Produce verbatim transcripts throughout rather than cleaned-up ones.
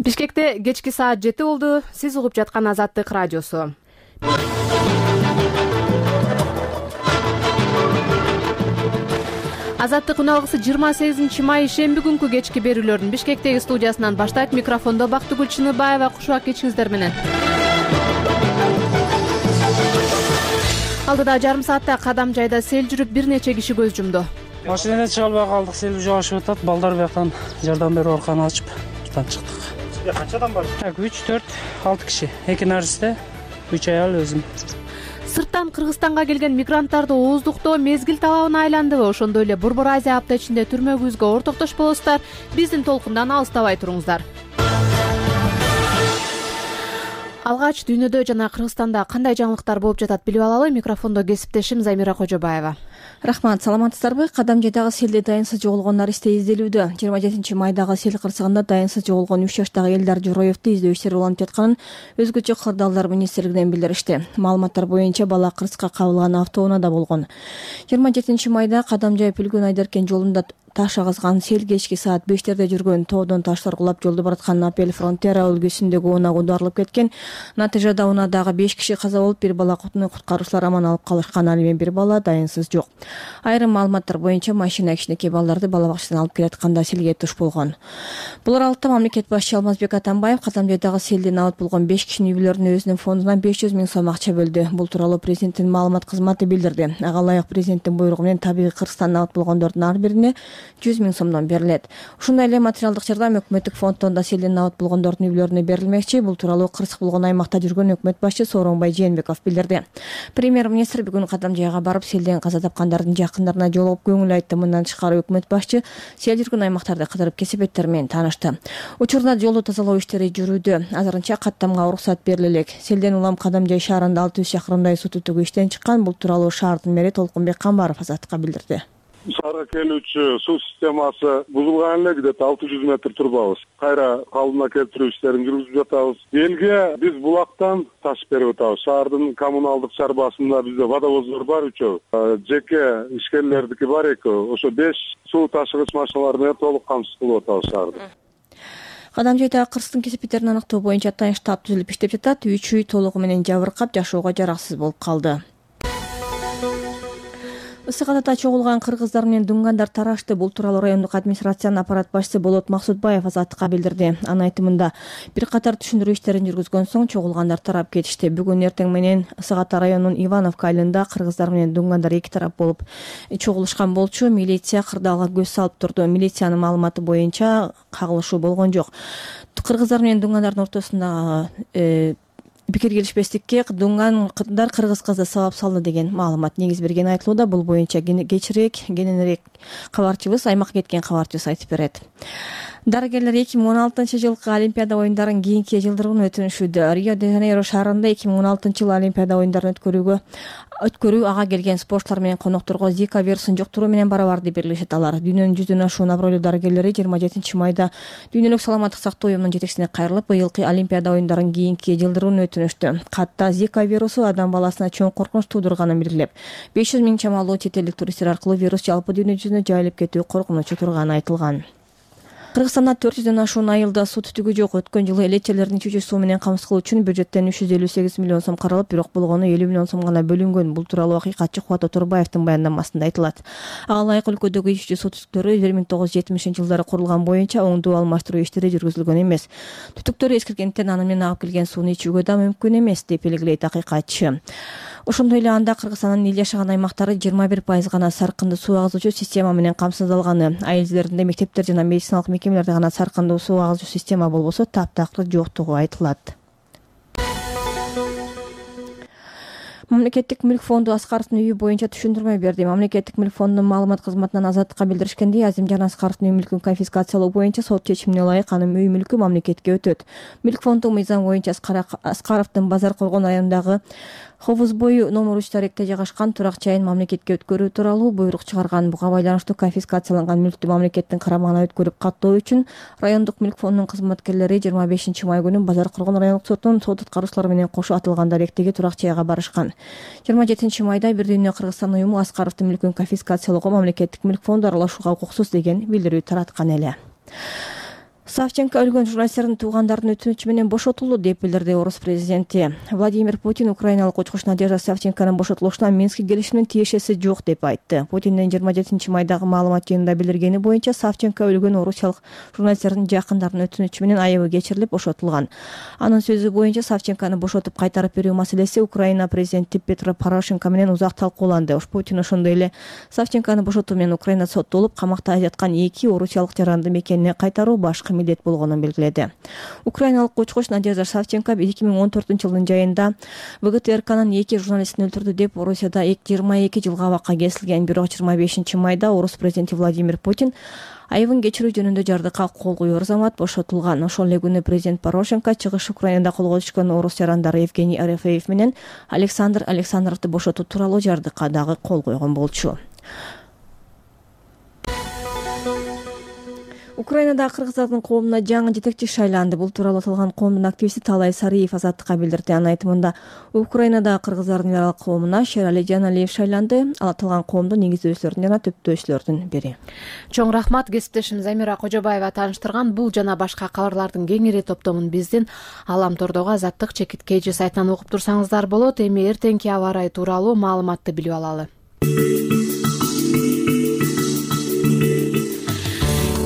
Бишкекте кечки саат жети болду. Сиз угуп жаткан Азаттык радиосу. Азаттык үналгысы жыйырма сегизинчи май шемби күнкү кечки берүүлөрдүн Бишкектеги студиясынан баштайт. Микрофондо Бактыгүл Чыныбаева, кушубак кечиңиздер менен. Алдыда жарым саатта Кадам жайда сел жүрүп, бир нече киши көз жумду. Машинада чыга албай калдык, сел жаашып атат. Балдар бияктан жардам берүү арканы ачып туртан чыктык. Канча адам бар? үч, төрт, алты киши. Эки наристе, үч аял, өзүм. Сырттан Кыргызстанга келген мигранттарды ооздуктоо мезгил талабына айландыбы? Ошондой эле Борбор Азия апта ичинде түрмөгүбүзгө ортоктош болосуздар. Биздин толкундан алыстабай туруңуздар. Алгач дүйнөдө жана Кыргызстанда кандай жаңылыктар болуп жатат билип алалы. Микрофондо кесиптешим Замира Кожобаева. Рахмат, саламатсыздарбы? Кадам жайдагы селде дайынсыз жоголгон наристе изделүүдө. жыйырма жетинчи майдагы сел кырсыгында дайынсыз жоголгон үч жаштагы Элдар Жороевду издөө иштери уланып жатканын өзгөчө кырдаалдар министрлигинен билдиришти. Маалыматтар боюнча бала кырсыкка кабылган автоунаада болгон. жыйырма жетинчи майда Кадам жай Пүлгөн Айдаркен жолунда таш агызган сел кечки саат бештерде жүргөн тоодон таштар кулап жолду бараткан Апель Фронтера өлкөсүндөгү унаага аударылып кеткен. Натыйжада унаадагы беш киши каза болуп, бир бала куткаруучулар аман алып калышкан. Ал эми бир бала дайынсыз жок. Айрым маалыматтар боюнча машина кичинекей балдарды бала бакчадан алып келатканда селге туш болгон. Бул аралыкта мамлекет башчы Алмазбек Атамбаев Кадам жайдагы селден абат болгон беш кишинин үй бүлөлөрүнө өзүнүн фондунан беш жүз миң сом акча бөлдү. Бул тууралуу президенттин маалымат кызматы билдирди. Ага ылайык президенттин буйругу менен табигый Кыргызстандан абат болгондордун ар бирине жүз миң сомдон берилет. Ушундай эле материалдык жардам өкмөттүк фонддон да селден абат болгондордун үй бүлөлөрүнө берилмекчи. Бул тууралуу кырсык болгон аймакта жүргөн өкмөт башчы Сооронбай Жээнбеков билдирди. Премьер-министр бүгүн Кадам жайга барып, селден каза тапкандардын жакындарына жолугуп көңүл айтты. Мындан тышкары өкмөт башчы сел жүргөн аймактарды кыдырып кесепеттер менен таанышты. Учурда жолду тазалоо иштери жүрүүдө. Азырынча каттамга уруксат бериле элек. Селден улам Кадам жай шаарында алты жүз чакырымдай суу түтүгү иштен чыккан. Бул тууралуу шаардын мэри Толкунбек Камбаров Азаттыкка билдирди. Шаарга келүүчү суу системасы бузулган эле, где-то алты жүз метр турбабыз. Кайра калыбына келтирүү иштерин жүргүзүп жатабыз. Элге биз булактан таш берип атабыз. Шаардын коммуналдык чарбасында бизде водовоздор бар үчөө. Жеке ишкерлердики бар экөө. Ошо беш суу ташыгыч машиналар менен толук камсыз кылып атабыз шаарды. Кадам жайдагы кырсыктын кесепеттерин аныктоо боюнча атайын штаб түзүлүп иштеп жатат. Үч үй толугу менен жабыркап, жашоого жараксыз болуп калды. Ысык атада чогулган кыргыздар менен дуңгандар тарашты. Бул тууралуу райондук администрациянын аппарат башчысы Болот Максутбаев Азаттыкка билдирди. Анын айтымында, бир катар түшүндүрүү иштерин жүргүзгөн соң чогулгандар тарап кетишти. Бүгүн эртең менен Ысык ата районунун Ивановка айылында кыргыздар менен дуңгандар эки тарап болуп чогулушкан болчу. Милиция кырдаалга көз салып турду. Милициянын маалыматы боюнча кагылышуу болгон жок. Кыргыздар менен дуңгандардын ортосунда пикир келишпестикке дуңгандар кыргыз кызы сабап салды деген маалымат негиз берген айтылууда. Бул боюнча кечирээк кененирээк кабарчыбыз, аймакка кеткен кабарчыбыз айтып берет. Дарыгерлер эки миң он алтынчы жылкы Олимпиада оюндарын кийинки жылдырууну өтүнүшүүдө. Рио-де-Жанейро шаарында эки миң он алтынчы жылы Олимпиада оюндарын өткөрүүгө өткөрүү ага келген спортчулар менен конокторго Зика вирусун жуктуруу менен барабар деп белгилешет алар. Дүйнөнүн жүздөн ашуун абройлуу дарыгерлери жыйырма жетинчи майда Дүйнөлүк саламаттык сактоо уюмунун жетекчисине кайрылып, быйылкы Олимпиада оюндарын кийинки жылдырууну өтүнүштү. Катта Зика вирусу адам баласына чоң коркунуч туудурганын белгилеп, беш жүз миң чамалуу чет элдик туристтер аркылуу вирус жалпы дүйнө жүзүнө жайылып кетүү коркунучу турганы айтылган. Кыргызстанда төрт жүздөн ашуун айылда суу түтүгү жок. Өткөн жылы элечелердин чүчү суу менен камсыз кылуу үчүн бюджеттен үч жүз элүү сегиз миллион сом каралып, бирок болгону элүү миллион сом гана бөлүнгөн. Бул тууралуу акыйкатчы Кубат Оторбаевдин баяндамасында айтылат. Ага ылайык өлкөдөгү чүчү суу түтүктөрү бир миң тогуз жүз жетимишинчи жылдары курулган боюнча оңдуу алмаштыруу иштери жүргүзүлгөн эмес. Түтүктөр эскиргенден аны менен агып келген сууну ичүүгө да мүмкүн эмес деп белгилейт акыйкатчы. Ошондой эле анда Кыргызстандын эл жашаган аймактары жыйырма бир пайыз гана саркындуу суу агызуучу система менен камсыздалганы. Айылдеринде мектептер жана медициналык мекемелерде гана саркындуу суу агызуучу система болбосо, таптакыр жоктугу айтылат. Мамлекеттик мүлк фонду Аскаровдун үйү боюнча түшүндүрмө берди. Мамлекеттик мүлк фондунун маалымат кызматынан Азаттыкка билдиришкендей, Азимжан Аскаровдун үй мүлкүн конфискациялоо боюнча сот чечимине ылайык анын үй мүлкү мамлекетке өтөт. Мүлк фонду мыйзам боюнча Аскаровдун Базар Коргон районундагы Ховуз бою номер үч таректе жайгашкан турак жайын мамлекетке өткөрүү тууралуу буйрук чыгарган. Буга байланыштуу конфискацияланган мүлктү мамлекеттин карамагына өткөрүп каттоо үчүн райондук мүлк фондунун кызматкерлери жыйырма бешинчи май күнү Базар Коргон райондук сотунун сот аткаруучулары менен кошо атылган даректеги турак жайга барышкан. жыйырма жетинчи майда Бир дүйнө Кыргызстан уюму Аскаровдун мүлкүн конфискациялоого мамлекеттик мүлк фонду аралашууга укуксуз деген билдирүү тараткан эле. Савченко өлгөн журналисттердин туугандарынын өтүнүчү менен бошотулду деп билдирди орус президенти. Владимир Путин украиналык учкуч Надежда Савченконун бошотулушуна Минск келишиминин тиешеси жок деп айтты. Путиндин жыйырма жетинчи майдагы маалымат жыйынында билдиргени боюнча Савченко өлгөн орусиялык журналисттердин жакындарынын өтүнүчү менен айыбы кечирилип бошотулган. Анын сөзү боюнча Савченкону бошотуп кайтарып берүү маселеси Украина президенти Петро Порошенко менен узак талкууланды. Путин ошондой эле Савченкону бошотуу менен Украина соттолуп камакта жаткан эки орусиялык жаранды мекенине кайтаруу башкы милдет болгонун белгиледи. Украиналык учкуч Надежда Савченко эки миң он төртүнчү жылдын жайында ВГТРКнын эки журналистин өлтүрдү деп Орусияда жыйырма эки жылга абакка кесилген. Бирок жыйырма бешинчи майда орус президенти Владимир Путин айыбын кечирүү жөнүндө жардыкка кол коюу замат бошотулган. Ошол эле күнү президент Порошенко чыгыш Украинада колго түшкөн орус жарандары Евгений Арефеев менен Александр Александровду бошотуу тууралуу жардыкка дагы кол койгон болчу. Украинада кыргыздардын коомуна жаңы жетекчи шайланды. Бул тууралуу аталган коомдун активисти Талай Сариев Азаттыкка билдирди. Анын айтымында Украинада кыргыздардын эл аралык коомуна Шерали Жаналиев шайланды. Ал аталган коомдун негиздөөчүлөрүнүн жана төптөөчүлөрдүн бири. Чоң рахмат, кесиптешим Замира Кожобаева тааныштырган бул жана башка кабарлардын кеңири топтомун биздин Алам Тордогу Азаттык чекит Кж сайтынан окуп турсаңыздар болот. Эми эртеңки аба ырайы тууралуу маалыматты билип алалы.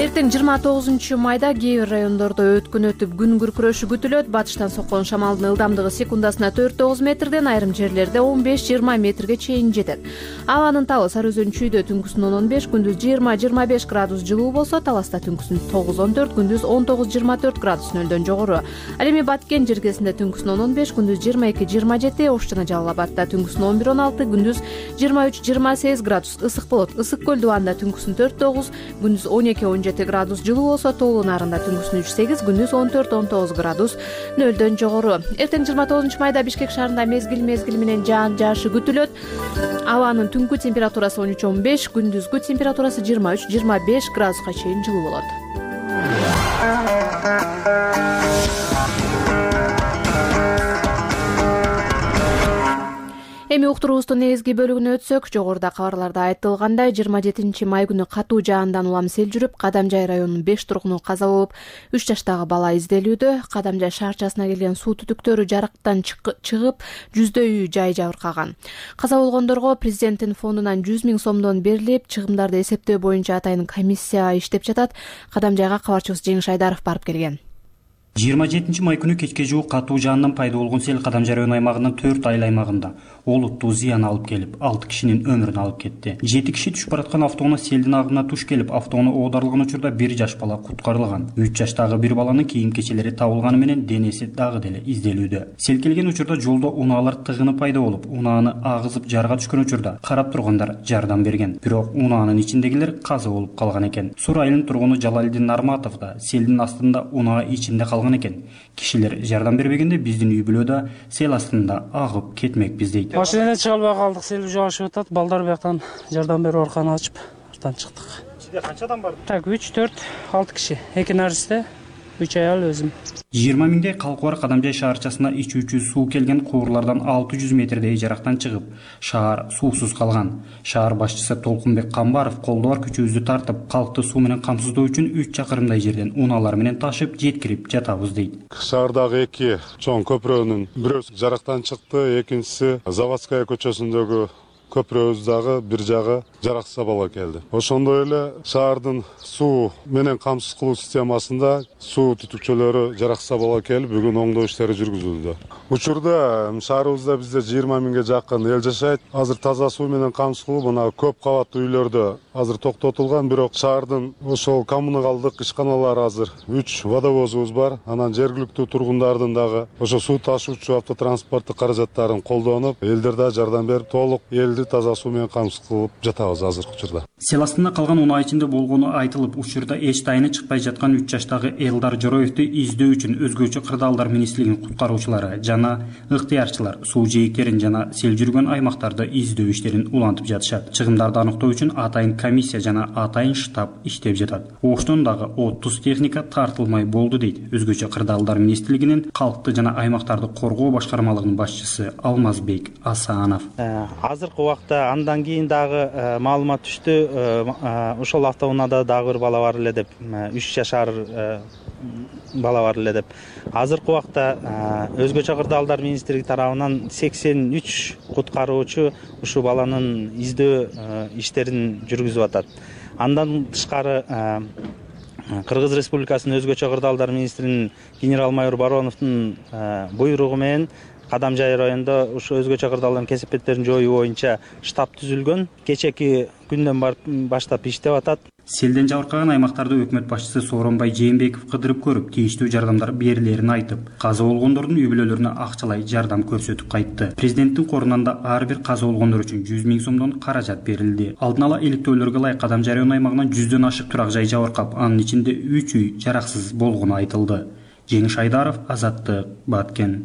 Эртең жыйырма тогузунчу майда кээ бир райондордо өткөн өтүп күн күркүрөшү күтүлөт. Батыштан соккон шамалдын ылдамдыгы секундасына төрт тогуз метрден, айрым жерлерде он беш жыйырма метрге чейин жетет. Абанын табы Сары Өзөн чүйдө түнкүсүн он он беш, күндүз жыйырма жыйырма беш градус жылуу болсо, Таласта түнкүсүн тогуз он төрт, күндүз он тогуз жыйырма төрт градус нөлдөн жогору. Ал эми Баткен жергесинде түнкүсүн он он беш, күндүз жыйырма эки жыйырма жети, Ош жана Жалал Абадта түнкүсүн он бир он алты, күндүз жыйырма үч жыйырма сегиз градус ысык болот. Ысык көл дубанда түнкүсүн төрт тогуз, күндүз он эки он жети градус жылуу болсо, Тоолуу Нарында түнкүсүн үч сегиз, күндүз он төрт он тогуз градус нөлдөн жогору. Эртең жыйырма тогузунчу майда Бишкек шаарында мезгил мезгил менен жаан жаашы күтүлөт. Абанын түнкү температурасы он үч он беш, күндүзгү температурасы жыйырма үч жыйырма беш градуска чейин жылуу болот. Эми уктуруубуздун негизги бөлүгүнө өтсөк, жогоруда кабарларда айтылгандай, жыйырма жетинчи май күнү катуу жаандан улам сел жүрүп, Кадамжай районунун беш тургуну каза болуп, үч жаштагы бала изделүүдө. Кадамжай шаарчасына келген суу түтүктөрү жарыктан чыгып, жүздөй үй жай жабыркаган. Каза болгондорго президенттин фондунан жүз миң сомдон берилип, чыгымдарды эсептөө боюнча атайын комиссия иштеп жатат. Кадамжайга кабарчыбыз Жеңиш Айдаров барып келген. жыйырма жетинчи май күнү кечке жуук катуу жаандан пайда болгон сел Кадамжай район аймагынын төрт айыл аймагында олуттуу зыян алып келип, алты кишинин өмүрүн алып кетти. жети киши түшүп бараткан автоунаа селдин агымына туш келип, автоунаа оодарылган учурда бир жаш бала куткарылган. үч жаштагы бир баланын кийим-кечелери табылганы менен денеси дагы деле изделүүдө. Сел келген учурда жолдо унаалар тыгыны пайда болуп, унааны агызып жарга түшкөн учурда карап тургандар жардам берген. Бирок унаанын ичиндегилер каза болуп калган экен. Сур айылынын тургуну Жалалдин Нарматов да селдин астында унаа ичинде калган экен. Кишилер жардам бербегенде биздин үй бүлө да сел астында агып кетмекпиз дейт. Машинеден чыга албай калдык, сел жаашып атат. Балдар бияктан жардам берип арканы ачып, артан чыктык. Ичинде канча адам бар? Так, үч төрт алты киши. эки наристе, үч аял өзүм. жыйырма миңдей калкы бар Кадамжай шаарчасына ичүүчү суу келген куурлардан алты жүз метрдей жарактан чыгып, шаар суусуз калган. Шаар башчысы Толкунбек Камбаров колдо бар күчүбүздү тартып, калкты суу менен камсыздоо үчүн үч чакырымдай жерден унаалар менен ташып жеткирип жатабыз дейт. Шаардагы эки чоң көпүрөнүн бирөөсү жарактан чыкты, экинчиси Заводская көчөсүндөгү көпүрөбүз дагы бир жагы жараксыз абалга келди. Ошондой эле шаардын суу менен камсыз кылуу системасында суу түтүкчөлөрү жараксыз абалга келип, бүгүн оңдоо иштери жүргүзүлдү. Учурда шаарыбызда бизде жыйырма миңге жакын эл жашайт. Азыр таза суу менен камсыз кылуу мына көп кабаттуу үйлөрдө азыр токтотулган, бирок шаардын ошол коммуналдык ишканалары азыр үч водовозубуз бар. Анан жергиликтүү тургундардын дагы ошо суу ташуучу автотранспорттук каражаттарын колдонуп, элдер да жардам берип, толук элди таза суу менен камсыз кылып жатабыз азыркы учурда. Сел астында калган унаа ичинде болгону айтылып, учурда эч тайыны чыкпай жаткан үч жаштагы Элдар Жороевди издөө үчүн өзгөчө кырдаалдар министрлигинин куткаруучулары жана ыктыярчылар суу жээктерин жана сел жүргөн аймактарды издөө иштерин улантып жатышат. Чыгымдарды аныктоо үчүн атайын комиссия жана атайын штаб иштеп жатат. Оштон дагы отуз техника тартылмай болду дейт өзгөчө кырдаалдар министрлигинин калкты жана аймактарды коргоо башкармалыгынын башчысы Алмазбек Асанов. Азыркы убакта андан кийин дагы маалымат түштү, ошол автоунаада дагы бир бала бар эле деп, үч жашар бала бар эле деп. Азыркы убакта Өзгөчө кырдаалдар министрлиги тарабынан сексен үч куткаруучу ушул баланын издөө иштерин жүргүзүп атат. Андан тышкары Кыргыз Республикасынын Өзгөчө кырдаалдар министринин генерал-майор Бароновдун буйругу менен Кадамжай районунда ушу өзгөчө кырдаалдардын кесепеттерин жоюу боюнча штаб түзүлгөн. Кечеки күндөн баштап иштеп атат. Селден жабыркаган аймактарды өкмөт башчысы Сооронбай Жээнбеков кыдырып көрүп, тийиштүү жардамдар берилерин айтып, каза болгондордун үй бүлөлөрүнө акчалай жардам көрсөтүп кайтты. Президенттин корунан да ар бир каза болгондор үчүн жүз миң сомдон каражат берилди. Алдын ала иликтөөлөргө ылайык Кадамжай району аймагынан жүздөн ашык турак жай жабыркап, анын ичинде үч үй жараксыз болгону айтылды. Жеңиш Айдаров, Азаттык, Баткен.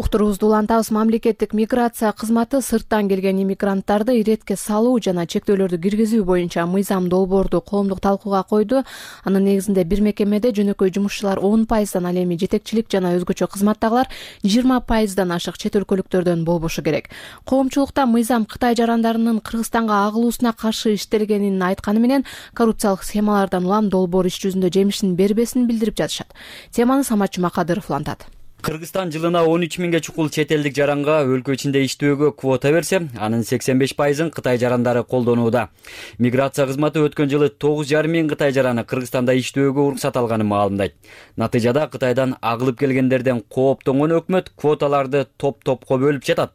Уктуруубузду улантабыз. Мамлекеттик миграция кызматы сырттан келген иммигранттарды иретке салуу жана чектөөлөрдү киргизүү боюнча мыйзам долбоорду коомдук талкууга койду. Анын негизинде бир мекемеде жөнөкөй жумушчулар он пайыздан, ал эми жетекчилик жана өзгөчө кызматтагылар жыйырма пайыздан ашык чет өлкөлүктөрдөн болбошу керек. Коомчулукта мыйзам Кытай жарандарынын Кыргызстанга агылуусуна каршы иштелгенин айтканы менен коррупциялык схемалардан улам долбоор иш жүзүндө жемишин бербесин билдирип жатышат. Теманы Самат Жумакадыров улантат. Кыргызстан жылына он үч миңге чукул чет элдик жаранга өлкө ичинде иштөөгө квота берсе, анын сексен беш пайызын Кытай жарандары колдонууда. Миграция кызматы өткөн жылы тогуз жарым миң Кытай жараны Кыргызстанда иштөөгө уруксат алганын маалымдайт. Натыйжада Кытайдан агылып келгендерден кооптонгон өкмөт квоталарды топ-топко бөлүп жатат.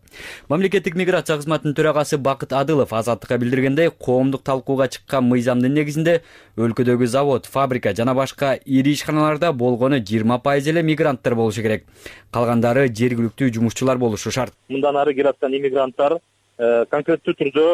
Мамлекеттик миграция кызматынын төрагасы Бакыт Адылов Азаттыкка билдиргендей, коомдук талкууга чыккан мыйзамдын негизинде өлкөдөгү завод, фабрика жана башка ири ишканаларда болгону жыйырма пайыз эле мигранттар болушу керек. Калгандары жергиликтүү жумушчулар болушу шарт. Мындан ары келаткан иммигранттар конкреттүү түрдө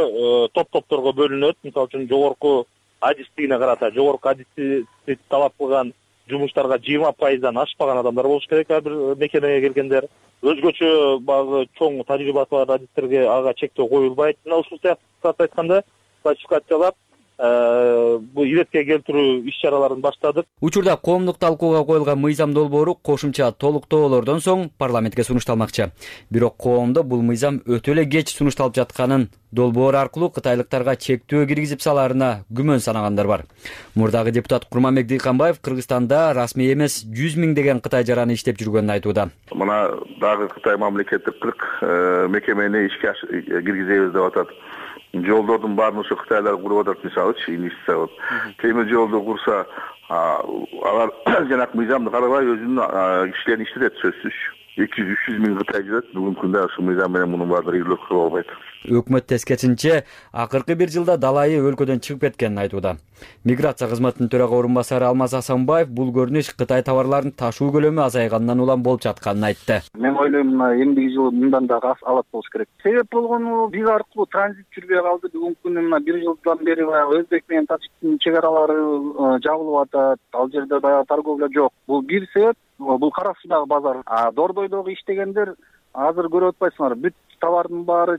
топ-топторго бөлүнөт. Мисалы үчүн жогорку адистигине карата, жогорку адисти талап кылган жумуштарга жыйырма пайыздан ашпаган адамдар болуш керек ар бир мекемеге келгендер. Өзгөчө багы чоң тажрыйбасы бар адистерге ага чектөө коюлбайт. Мына ушул сыяктуу айтканда классификациялап бул иретке келтирүү иш чараларын баштадык. Учурда коомдук талкууга коюлган мыйзам долбоору кошумча толуктоолордон соң парламентке сунушталмакчы. Бирок коомдо бул мыйзам өтө эле кеч сунушталып жатканын, долбоор аркылуу кытайлыктарга чектөө киргизип салаарына күмөн санагандар бар. Мурдагы депутат Курманбек Дыйканбаев Кыргызстанда расмий эмес жүз миңдеген Кытай жараны иштеп жүргөнүн айтууда. Мына дагы Кытай мамлекеттик кырк мекемени ишке киргизебиз деп атат. Жолдордун баарын ошо кытайлар куруп атат, мисалычы, инвестиция кылып. Темир жолду курса, алар жанагы мыйзамды карабай өзүнүн кишилерин иштетет, сөзсүз. эки жүз үч жүз миң Кытай жүрөт. Бүгүнкү күндө ушул мыйзам менен мунун баардыгы ийгилик кылып албайт. Өкмөт тескерисинче акыркы бир жылда далайы өлкөдөн чыгып кеткенин айтууда. Миграция кызматынын төрага орун басары Алмаз Асанбаев бул көрүнүш Кытай товарларын ташуу көлөмү азайгандан улам болуп жатканын айтты. Мен ойлойм, мына эмдиги жылы мындан да алат болуш керек. Себеп болгону биз аркылуу транзит жүрбөй калды. Бүгүнкү күндө мына бир жылдан бери Өзбек менен Тажиктин чек аралары жабылып атат. Ал жерде баягы торговля жок. Бул бир себеп. Бул кара суудагы базар. А Дордойдогу иштегендер азыр көрүп атпайсыңар, бүт товардын баары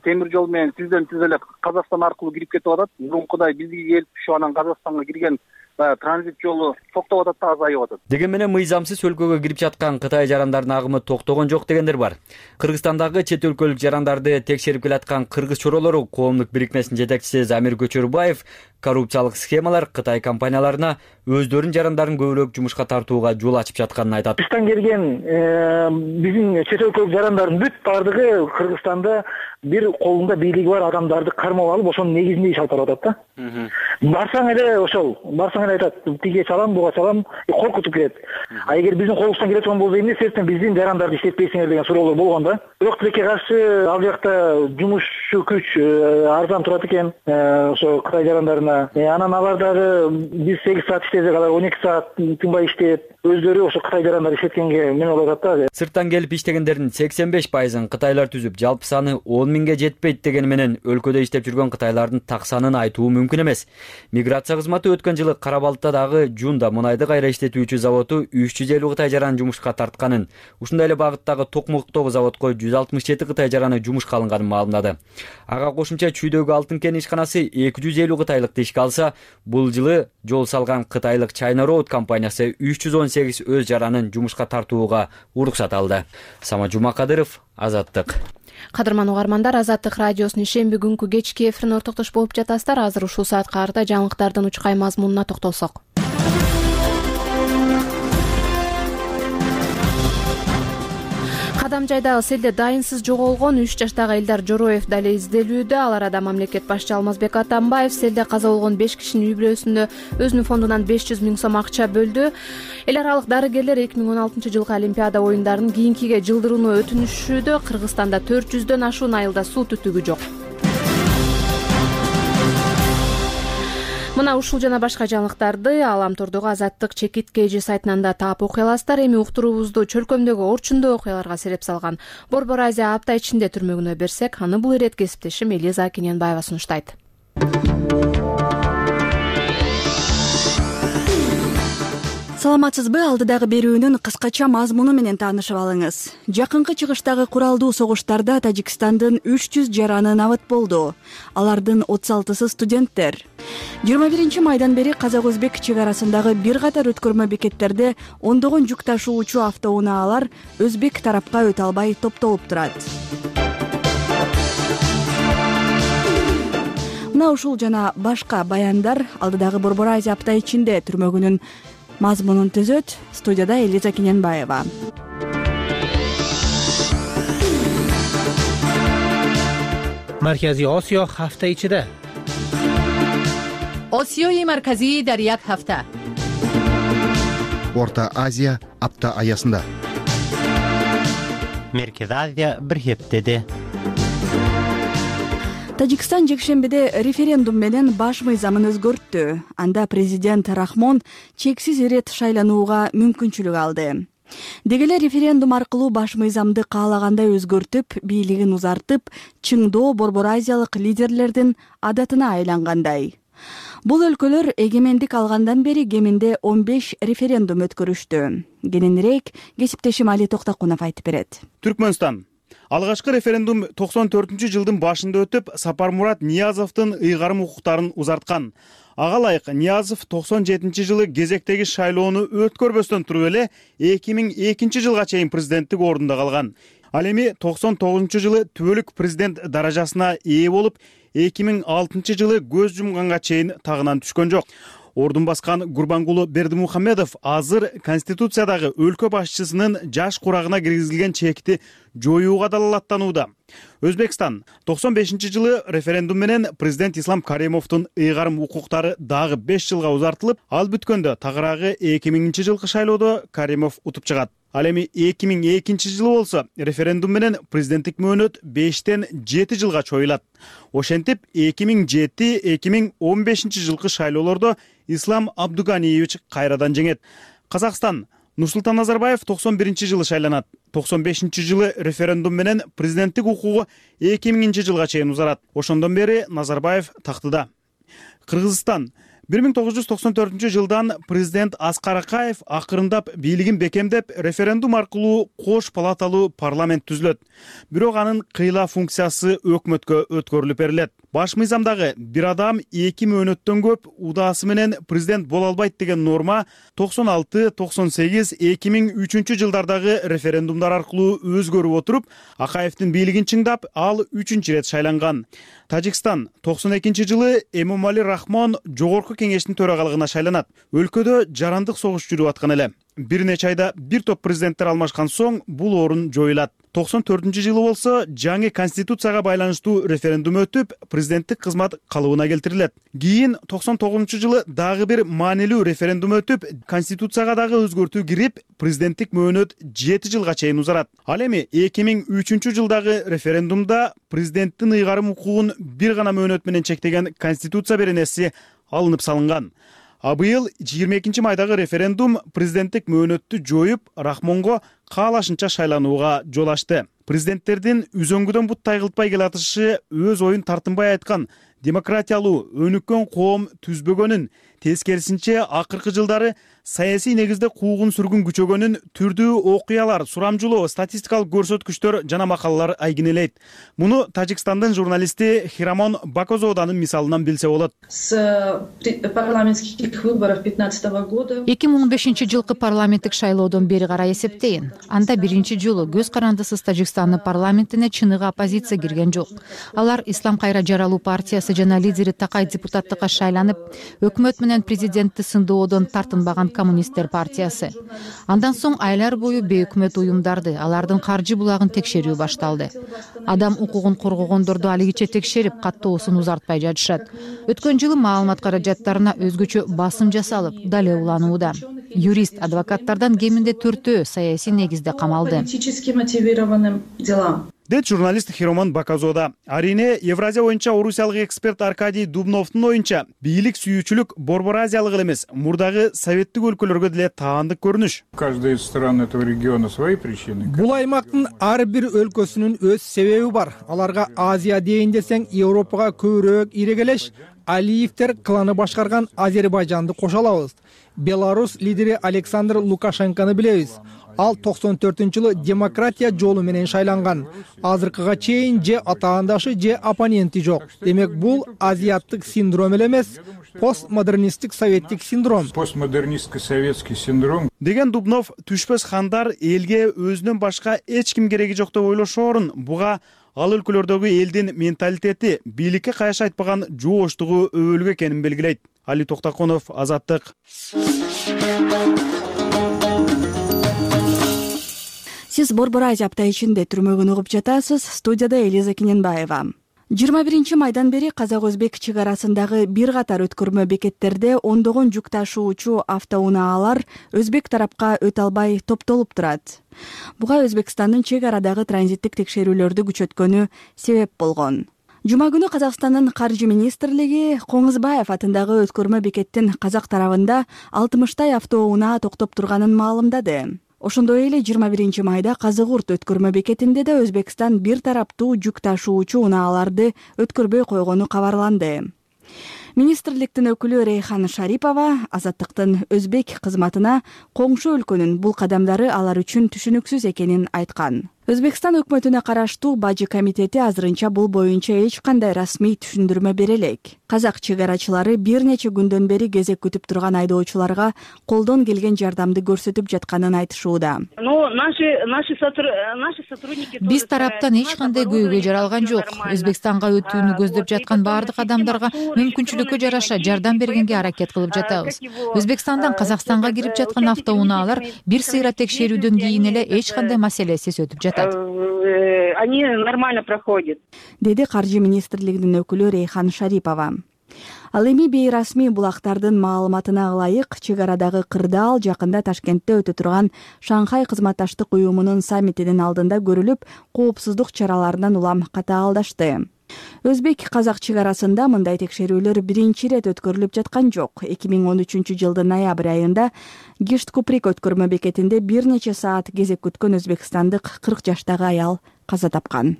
темир жол менен тизден тиз эле Казакстан аркылуу кирип кетип атат. Мурункудай бизге келип ушу анан Казакстанга кирген транзит жолу токтоп атат да, азайып атат. Деген менен мыйзамсыз өлкөгө кирип жаткан Кытай жарандардын агымы токтогон жок дегендер бар. Кыргызстандагы чет өлкөлүк жарандарды текшерип келаткан Кыргыз чоролору коомдук бирикмесинин жетекчиси Замир Көчөрбаев коррупциялык схемалар Кытай компанияларына өздөрүнүн жарандарын көбүрөөк жумушка тартууга жол ачып жатканын айтат. Кыргызстан келген биздин чет өлкөлүк жарандардын бүт баардыгы Кыргызстанда бир колунда бийлиги бар адамдарды кармап алып, ошонун негизинде иш алып барып атат да. Барсаң эле ошол, барсаң эле айтат, тиге чалам, буга чалам, коркутуп кирет. А эгер биздин колубуздан келе турган болсо эмне себептен биздин жарандарды иштетпейсиңер деген суроолор болгон да. Бирок тилекке каршы ал жакта жумушчу күч арзан турат экен, ошо Кытай жарандарына. Анан алар дагы биз сегиз саат иштесек, алар он эки саат тынбай иштейт. Өздөрү ошо Кытай жарандары иштеткенге мен ойлоп атат да. Сырттан келип иштегендердин сексен беш пайызын кытайлар түзүп, жалпы саны он миңге жетпейт дегени менен өлкөдө иштеп жүргөн кытайлардын так санын айтуу мүмкүн эмес. Миграция кызматы өткөн жылы Кара балыктагы Жунда мунайды кайра иштетүүчү заводу үч жүз элүү Кытай жараны жумушка тартканын, ушундай эле багыттагы Токмоктогу заводко жүз алтымыш жети Кытай жараны жумушка алынганын маалымдады. Ага кошумча Чүйдөгү Алтын кен ишканасы эки жүз элүү кытайлыкты ишке алса, бул жылы жол салган кытайлык China Road компаниясы үч жүз он сегиз өз жаранын жумушка тартууга уруксат алды. Сама Жумакадыров, Азаттык. Кадырман угармандар, Азаттык радиосунун шемби күнкү кечки эфирин ортоктош болуп жатасыздар. Азыр ушул саатка карата жаңылыктардын учкай мазмунуна токтолсок. Кадам жайдагы селде дайынсыз жоголгон үч жаштагы Элдар Жороев дали изделүүдө. Ал арада мамлекет башчы Алмазбек Атамбаев селде каза болгон беш кишинин үй бүлөсүндө өзүнүн фондунан беш жүз миң сом акча бөлдү. Эл аралык дарыгерлер эки миң он алтынчы жылкы Олимпиада оюндарын кийинкиге жылдырууну өтүнүшүүдө. Кыргызстанда төрт жүздөн ашуун айылда суу түтүгү жок. Мына ушул жана башка жаңылыктарды Аламтордогу Азаттык чекит кж сайтынан да таап окуй аласыздар. Эми уктуруубузду чөлкөмдөгү орчундуу окуяларга сереп салган Борбор Азия апта ичинде түрмөгүнө берсек, аны бул ирет кесиптешим Элиза Кененбаева сунуштайт. Саламатсызбы? Алдыдагы берүүнүн кыскача мазмуну менен таанышып алыңыз. Жакынкы чыгыштагы куралдуу согуштарда Тажикстандын үч жүз жараны набыт болду. Алардын отуз алтысы студенттер. жыйырма биринчи майдан бери казак-өзбек чек арасындагы бир катар өткөрмө бекеттерде ондогон жүк ташуучу автоунаалар өзбек тарапка өтө албай топтолуп турат. Мына ушул жана башка баяндар алдыдагы Борбор Азия апта ичинде түрмөгүнүн мазмунун түзөт. Студияда Элиза Кененбаева. Маркази Осиё ҳафта ичиде. Осиёи марказӣ дар як ҳафта. Орта Азия апта аясында. Меркези Азия бир хептеде. Тажикстан жекшембиде референдум менен баш мыйзамын өзгөрттү. Анда президент Рахмон чексиз ирет шайланууга мүмкүнчүлүк алды. Деги эле референдум аркылуу баш мыйзамды каалагандай өзгөртүп, бийлигин узартып, чыңдоо Борбор Азиялык лидерлердин адатына айлангандай. Бул өлкөлөр эгемендик алгандан бери кеминде он беш референдум өткөрүштү. Кененирээк кесиптешим Али Токтокунов айтып берет. Түркмөнстан. Алгачкы референдум токсон төртүнчү жылдын башында өтүп, Сапармурат Ниязовдун ыйгарым укуктарын узарткан. Ага ылайык Ниязов токсон жетинчи жылы кезектеги шайлоону өткөрбөстөн туруп эле эки миң экинчи жылга чейин президенттик ордунда калган. Ал эми токсон тогузунчу жылы түбөлүк президент даражасына ээ болуп, эки миң алтынчы жылы көз жумганга чейин тагынан түшкөн жок. Ордун баскан Гурбангулу Бердимухамедов азыр Конституциядагы өлкө башчысынын жаш курагына киргизилген чекти жоюуга далалаттанууда. Өзбекстан токсон бешинчи жылы референдум менен президент Ислам Каримовдун ыйгарым укуктары дагы беш жылга узартылып, ал бүткөндө тагыраагы эки миңинчи жылкы шайлоодо Каримов утуп чыгат. Ал эми эки миң экинчи жылы болсо референдум менен президенттик мөөнөт бештен жети жылга чоюлат. Ошентип эки миң жети эки миң он бешинчи жылкы шайлоолордо Ислам Абдуганиевич кайрадан жеңет. Казакстан Нурсултан Назарбаев токсон биринчи жылы шайланат. токсон бешинчи жылы референдум менен президенттик укугу эки миңинчи жылга чейин узарат. Ошондон бери Назарбаев тактыда. Кыргызстан бир миң тогуз жүз токсон төртүнчү жылдан президент Аскар Акаев акырындап бийлигин бекемдеп, референдум аркылуу кош палаталуу парламент түзүлөт. Бирок анын кыйла функциясы өкмөткө өткөрүлүп берилет. Баш мыйзамдагы бир адам эки мөөнөттөн көп удаасы менен президент боло албайт деген норма токсон алты токсон сегиз эки миң үчүнчү жылдардагы референдумдар аркылуу өзгөрүп отуруп, Акаевдин бийлигин чыңдап, ал үчүнчү ирет шайланган. Тажикстан токсон экинчи жылы Эмомали Рахмон жогорку кеңештин төрагалыгына шайланат. Өлкөдө жарандык согуш жүрүп аткан эле. Бир нече айда бир топ президенттер алмашкан соң бул орун жоюлат. токсон төртүнчү жылы болсо жаңы конституцияга байланыштуу референдум өтүп, президенттик кызмат калыбына келтирилет. Кийин токсон тогузунчу жылы дагы бир маанилүү референдум өтүп, конституцияга дагы өзгөртүү кирип, президенттик мөөнөт жети жылга чейин узарат. Ал эми эки миң үчүнчү жылдагы референдумда президенттин ыйгарым укугун бир гана мөөнөт менен чектеген конституция беренеси алынып салынган. А быйыл жыйырма экинчи майдагы референдум президенттик мөөнөттү жоюп, Рахмонго каалашынча шайланууга жол ачты. Президенттердин үзөңгүдөн бут тайгылтпай келатышы өз оюн тартынбай айткан, демократиялуу, өнүккөн коом түзбөгөнүн, тескерисинче акыркы жылдары саясий негизде куугун сүргүн күчөгөнүн түрдүү окуялар, сурамжылоо, статистикалык көрсөткүчтөр жана макалалар айгинелейт. Муну Тажикстандын журналисти Хирамон Бакозоданын мисалынан билсе болот. эки миң он бешинчи жылкы парламенттик шайлоодон бери карай эсептейин. Анда биринчи жолу көз карандысыз Тажикстандын парламентине чыныгы оппозиция кирген жок. Алар Ислам кайра жаралуу партиясы жана лидери Такай депутаттыкка шайланып, өкмөт менен президентти сындоодон тартынбаган коммунисттер партиясы. Андан соң айлар бою бейөкмөт уюмдарды, алардын каржы булагын текшерүү башталды. Адам укугун коргогондорду алигиче текшерип, каттоосун узартпай жатышат. Өткөн жылы маалымат каражаттарына өзгөчө басым жасалып, дале уланууда. Юрист, адвокаттардан кеминде төртөө саясий негизде камалды. Дейт журналист Хиромон Бакозода. Арине Евразия боюнча орусиялык эксперт Аркадий Дубновдун оюнча, бийлик сүйүүчүлүк борбор азиялык эле эмес, мурдагы советтик өлкөлөргө деле таандык көрүнүш. Каждая из стран этого региона свои причины. Бул аймактын ар бир өлкөсүнүн өз себеби бар. Аларга Азия дейин десең, Европага көбүрөөк ирегелеш, Алиевтер кланы башкарган Азербайжанды кошо алабыз. Беларус лидери Александр Лукашенкону билебиз. Ал токсон төртүнчү жылы демократия жолу менен шайланган. Азыркыга чейин же атаандашы, же оппоненти жок. Демек бул азиаттык синдром эле эмес, постмодернисттик советтик синдром. Постмодернисттик советский синдром. Деген Дубнов түшпөс хандар элге өзүнөн башка эч ким кереги жок деп ойлошоорун, буга ал өлкөлөрдөгү элдин менталитети, бийликке кайшы айтпаган жооштугу өбөлгө экенин белгилейт. Али Токтаконов, Азаттык. Сиз Борбор Азия апта ичинде түрмөгүн угуп жатасыз. Студияда Элиза Кененбаева. жыйырма биринчи майдан бери казак-өзбек чек арасындагы бир катар өткөрмө бекеттерде ондогон жүк ташуучу автоунаалар өзбек тарапка өтө албай топтолуп турат. Буга Өзбекстандын чек арадагы транзиттик текшерүүлөрдү күчөткөнү себеп болгон. Жума күнү Казакстандын каржы министрлиги Коңузбаев атындагы өткөрмө бекеттин казак тарабында алтымыштай автоунаа токтоп турганын маалымдады. Ошондой эле жыйырма биринчи майда Казыгурт өткөрмө бекетинде да Өзбекстан бир тараптуу жүк ташуучу унааларды өткөрбөй койгону кабарланды. Министрликтин өкүлү Рейхан Шарипова Азаттыктын өзбек кызматына коңшу өлкөнүн бул кадамдары алар үчүн түшүнүксүз экенин айткан. Өзбекстан өкмөтүнө караштуу Бажы комитети азырынча бул боюнча эч кандай расмий түшүндүрмө бере элек. Казак чек арачылары бир нече күндөн бери кезек күтүп турган айдоочуларга колдон келген жардамды көрсөтүп жатканын айтышууда. Биз тараптан эч кандай көйгөй жаралган жок. Өзбекстанга өтүүнү көздөп жаткан баардык адамдарга мүмкүнчүлүккө жараша жардам бергенге аракет кылып жатабыз. Өзбекстандан Казакстанга кирип жаткан автоунаалар бир сыйра текшерүүдөн кийин эле эч кандай маселесиз өтүп жатат. Они нормально проходят. Деди каржы министрлигинин өкүлү Рейхан Шарипова. Ал эми бейрасмий булактардын маалыматына ылайык чек арадагы кырдаал жакында Ташкентте өтө турган Шанхай кызматташтык уюмунун саммитинин алдында көрүлүп, коопсуздук чараларынан улам катаалдашты. Өзбек-казак чек арасында мындай текшерүүлөр биринчи ирет өткөрүлүп жаткан жок. эки миң он үчүнчү жылдын ноябрь айында Гишт-Куприк өткөрмө бекетинде бир нече саат кезек күткөн өзбекстандык кырк жаштагы аял каза тапкан.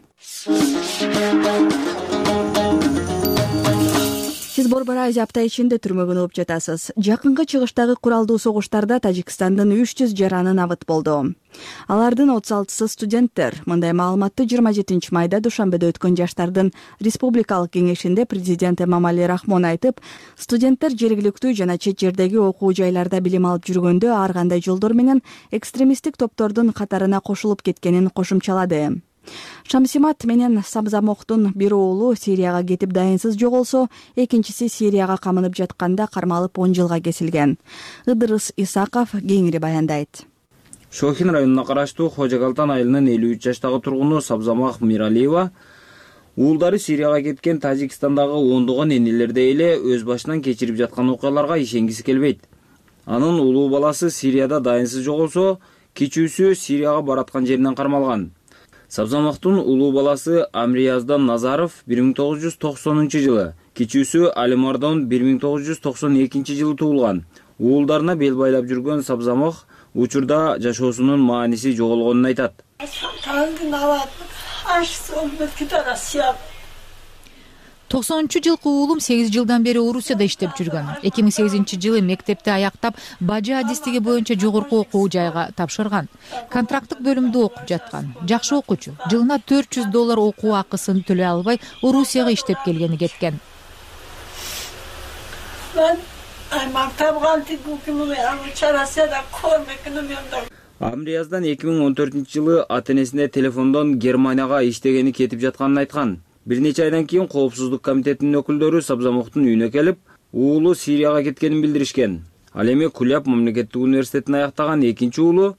Сиз Борбор Азия апта ичинде түрмөгүн угуп жатасыз. Жакынкы чыгыштагы куралдуу согуштарда Тажикстандын үч жүз жараны набыт болду. Алардын отуз алтысы студенттер. Мындай маалыматты жыйырма жетинчи майда Душанбеде өткөн жаштардын республикалык кеңешинде президент Эмомали Рахмон айтып, студенттер жергиликтүү жана чет жердеги окуу жайларда билим алып жүргөндө ар кандай жолдор менен экстремисттик топтордун катарына кошулуп кеткенин кошумчалады. Шамсимат менен Самзамоктун бир уулу Сирияга кетип дайынсыз жоголсо, экинчиси Сирияга камынып жатканда кармалып он жылга кесилген. Ыдырыс Исаков кеңири баяндайт. Шохин районуна караштуу Хожакалтан айылынын элүү үч жаштагы тургуну Сабзамах Миралиева уулдары Сирияга кеткен Тажикстандагы ондогон энелердей эле өз башынан кечирип жаткан окуяларга ишенгиси келбейт. Анын улуу баласы Сирияда дайынсыз жоголсо, кичүүсү Сирияга бараткан жеринен кармалган. Сабзамактын улуу баласы Амрияздан Назаров бир миң тогуз жүз токсонунчу жылы, кичүүсү Алимардон бир миң тогуз жүз токсон экинчи жылы туулган. Уулдарына бел байлап жүргөн Сабзамах учурда жашоосунун мааниси жоголгонун айтат. токсонунчу жылкы уулум сегиз жылдан бери Орусияда иштеп жүргөн. эки миң сегизинчи жылы мектепти аяктап, бажы адистиги боюнча жогорку окуу жайга тапшырган. Контракттык бөлүмдө окуп жаткан. Жакшы окуучу. Жылына төрт жүз доллар окуу акысын төлөй албай, Орусияга иштеп келгени кеткен. Амрияздан эки миң он төртүнчү жылы ата-энесине телефондон Германияга иштегени кетип жатканын айткан. Бир нече айдан кийин Коопсуздук комитетинин өкүлдөрү Сабзамоктун үйүнө келип, уулу Сирияга кеткенин билдиришкен. Ал эми Куляб мамлекеттик университетин аяктаган экинчи уулу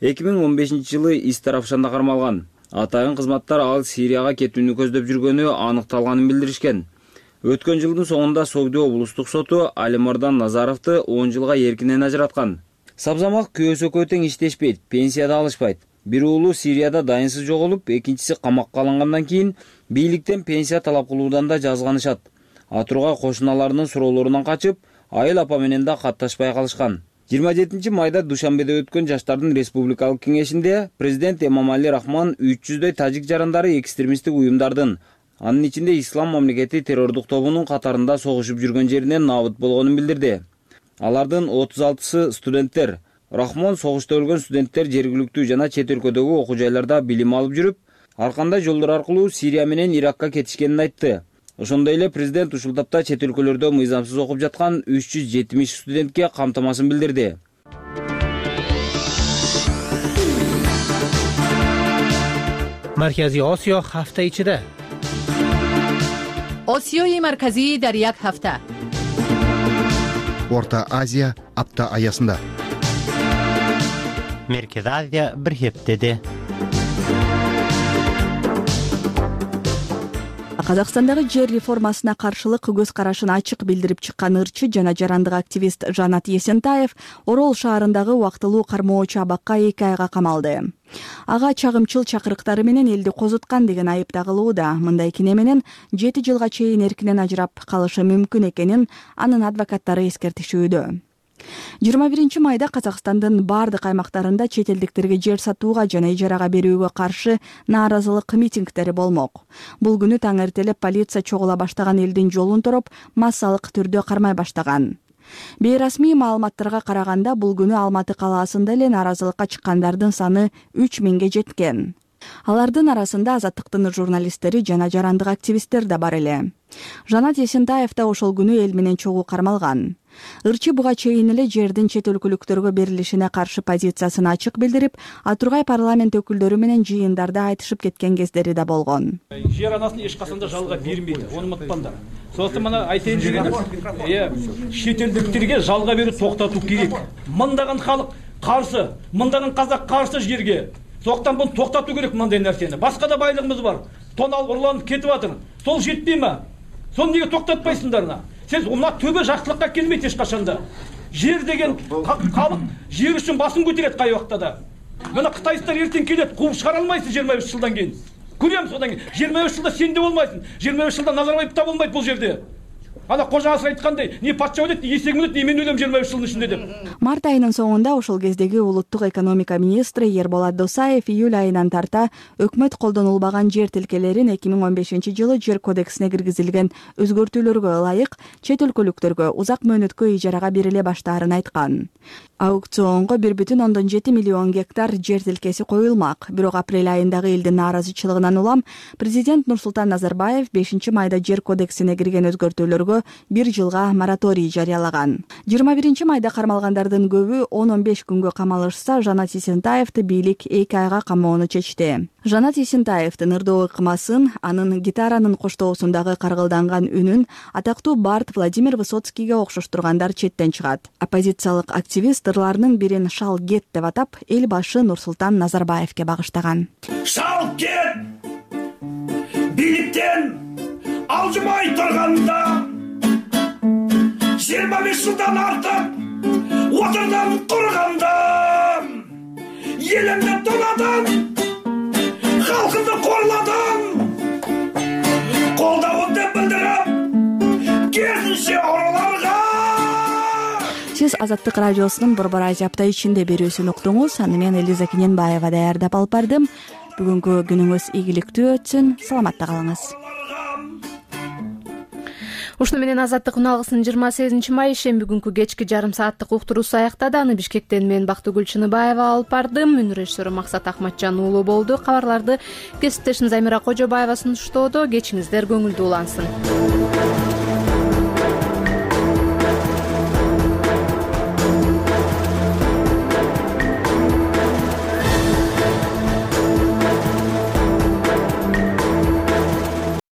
эки миң он бешинчи жылы из Тарафшанда кармалган. Атайын кызматтар ал Сирияга кетүүнү көздөп жүргөнү аныкталганын билдиришкен. Өткөн жылдын соңунда Согду облустук соту Алимардан Назаровду он жылга эркинен ажыраткан. Сабзамак күйөөсү экөө тең иштешпейт, пенсияда алышпайт. Бир уулу Сирияда дайынсыз жоголуп, экинчиси камакка алынгандан кийин бийликтен пенсия талап кылуудан да жазганышат. Атургай кошуналарынын суроолорунан качып, айыл апа менен да катташпай калышкан. жыйырма жетинчи майда Душанбеде өткөн жаштардын республикалык кеңешинде президент Эмомали Рахмон үч жүздөй тажик жарандары экстремисттик уюмдардын, анын ичинде Ислам мамлекети террордук тобунун катарында согушуп жүргөн жеринен набыт болгонун билдирди. Алардын отуз алтысы студенттер. Рахмон согушта өлгөн студенттер жергиликтүү жана чет өлкөдөгү окуу жайларда билим алып жүрүп, ар кандай жолдор аркылуу Сирия менен Иракка кетишкенин айтты. Ошондой эле президент ушул тапта чет өлкөлөрдө мыйзамсыз окуп жаткан үч жүз жетимиш студентке камтамасын билдирди. Маркази Осиё ҳафта ичида. Осиёи марказӣ дар як ҳафта. Орта Азия апта аясында. Меркез Азия бир хептеде. Казакстандагы жер реформасына каршылык көз карашын ачык билдирип чыккан ырчы жана жарандык активист Жанат Есентаев Орол шаарындагы убактылуу кармоочу абакка эки айга камалды. Ага чагымчыл чакырыктары менен элди козуткан деген айып тагылууда. Мындай кине менен жети жылга чейин эркинен ажырап калышы мүмкүн экенин анын адвокаттары эскертишүүдө. жыйырма биринчи майда Казакстандын бардык аймактарында чет элдиктерге жер сатууга жана ижарага берүүгө каршы нааразылык митингдери болмок. Бул күнү таң эртелеп полиция чогула баштаган элдин жолун тороп, массалык түрдө кармай баштаган. Бейрасмий маалыматтарга караганда бул күнү Алматы калаасында эле нааразылыкка чыккандардын саны үч миңге жеткен. Алардын арасында Азаттыктын журналисттери жана жарандык активисттер да бар эле. Жанат Есентаев да ошол күнү эл менен чогуу кармалган. Ырчы буга чейин эле жердин чет өлкөлүктөргө берилишине каршы позициясын ачык билдирип, Атургай парламент өкүлдөрү менен жыйындарда айтышып кеткен кездери да болгон. Жер анасын эч качан да жалга бермейт, аны унутпаңдар. Сондуктан мына айтайын дегеним, э, чет элдиктерге жалга берүү токтотуу керек. Мындаган халык каршы, мындаган казак каршы жерге. Сондуктан буну токтотуу керек мындай нерсени. Башка да байлыгыбыз бар. Тон алып урланып кетип атыр. Сол жетпейби? Сону неге токтотпайсыңдар? Сен мына төбө жакшылыкка келбейт эч качанда. Жер деген халык жер үчүн басым көтөрөт кай убакта да. Мына кытайстар эртең келет, кууп чыгара алмайсың жыйырма беш жылдан кийин. Көрөмүз одан кийин. жыйырма беш жылда сен де болмайсың. жыйырма беш жылда Назарбаев да болмойт бул жерде. Ана кожа асы айткандай, не патша өлөт, не есегим өлөт, не мен өлөм жыйырма беш жылдын ичинде деп. Март айынын соңунда ошол кездеги улуттук экономика министри Ерболат Досаев июль айынан тарта өкмөт колдонулбаган жер тилкелерин эки миң он бешинчи жылы жер кодексине киргизилген өзгөртүүлөргө ылайык чет өлкөлүктөргө узак мөөнөткө ижарага бериле баштаарын айткан. Аукционго бир бүтүн ондон жети миллион гектар жер тилкеси коюлмак. Бирок апрель айындагы элдин нааразычылыгынан улам президент Нурсултан Назарбаев бешинчи майда жер кодексине кирген өзгөртүүлөргө бир жылга мораторий жарыялаган. жыйырма биринчи майда кармалгандардын көбү он он беш күнгө камалышса, Жанат Есентаевди бийлик эки айга камоону чечти. Жанат Есентаевдин ырдоо ыкмасын, анын гитаранын коштоосундагы каргылданган үнүн атактуу бард Владимир Высоцкийге окшоштургандар четтен чыгат. Оппозициялык активист ырларынын бирин «Шал кет» деп атап, эл башы Нурсултан Назарбаевге багыштаган. Шал кет! Бийликтен алжымай турганда жыйырма беш жылдан артык отурдан турганда элимди толадың, халкымды корладың, колдообуңду билдирип керісінше ораларга. Сиз Азаттык радиосунун Борбор Азия апта ичинде берүүсүн уктуңуз. Аны мен Элиза Кененбаева даярдап алып бардым. Бүгүнкү күнүңүз ийгиликтүү өтсүн. Саламатта калыңыз. Ушуну менен азаттык үналгысынын жыйырма сегизинчи май ишемби күнкү кечки жарым сааттык уктуруусу аяктады. Аны Бишкектен мен Бактыгүл Чыныбаева алып бардым. Мүн режиссеру Максат Акматжан уулу болду. Кабарларды кесиптешим Замира Кожобаева сунуштоодо. Кечиңиздер көңүлдүү улансын.